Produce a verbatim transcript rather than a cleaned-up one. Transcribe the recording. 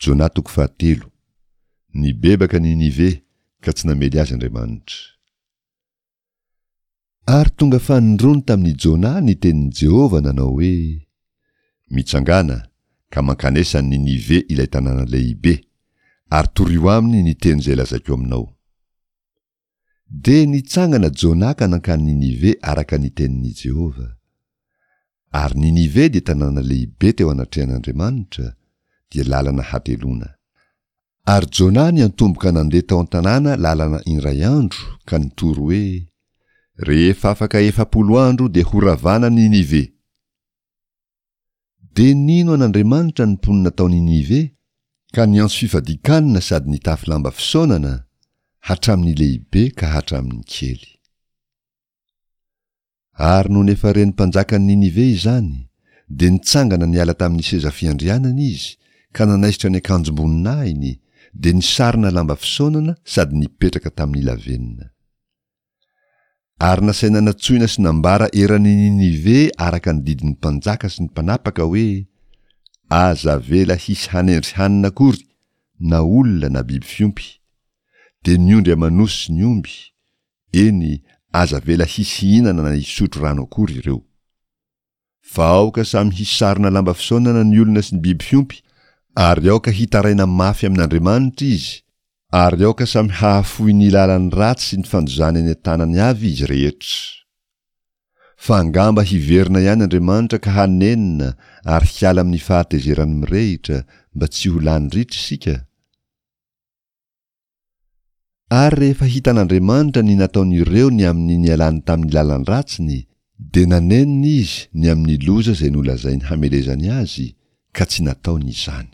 Jona toko fahatelo. Nibebaka Ninive, ka tsy namely azy Andriamanitra. Ary tonga fanindroany tamin'i Jona ny tenin'i Jehovah nanao hoe, Mitsangàna, ka mankanesa any Ninive ilay tanàna lehibe, ary torio aminy ny teny izay lazaiko aminao. Dia nitsangana Jona ka nankany Ninive araka ny tenin'i Jehovah. Ary Ninive dia tanàna lehibe teo anatrehan'Andriamanitra, dia lalana hateloana. Ary Jona niantomboka nandeha tao an-tanàna lalana indray andro ka nitory hoe, Rehefa afaka efapolo andro dia horavana Ninive. Dia nino an'Andriamanitra ny mponina tao Ninive, ka niantso fifadian-kanina sady nitafy lamba fisaonana, hatramin'ny lehibe ka hatramin'ny kely. Ary nony efa ren'ny mpanjakan'i Ninive izany, dia nitsangana niala tamin'ny seza fiandrianany izy, ka nanaisotra ny akanjom-boninahiny, dia nisarona lamba fisaonana sady nipetraka tamin'ny lavenona. Ary nasaina natsoina sy nambara eran'i Ninive araka ny didin'ny mpanjaka sy ny mpanapaka hoe, Aza avela hisy hanendry hanina akory, na olona na biby fiompy. Dia ny ondry aman'osy sy ny omby, Eny, aza avela hisy hihinana na hisotro rano akory ireo. Fa aoka samy hisarona lamba fisaonana ny olona sy ny biby fiompy, ary aoka hitaraina mafy amin'Andriamanitra izy, ary aoka samy hahafoy ny lalany ratsy sy ny fandozany any an-tanany avy izy rehetra. Fa angamba hiverina ihany Andriamanitra ka hanenina ary hiala amin'ny fahatezerany mirehitra, mba tsy ho lany ritra isika. Ary rehefa hitan'Andriamanitra ny nataon'ireo ny amin'ny nialany tamin'ny lalan-dratsiny, dia nanenina Izy ny amin'ny loza izay nolazainy hamelezany azy, ka tsy nataony izany.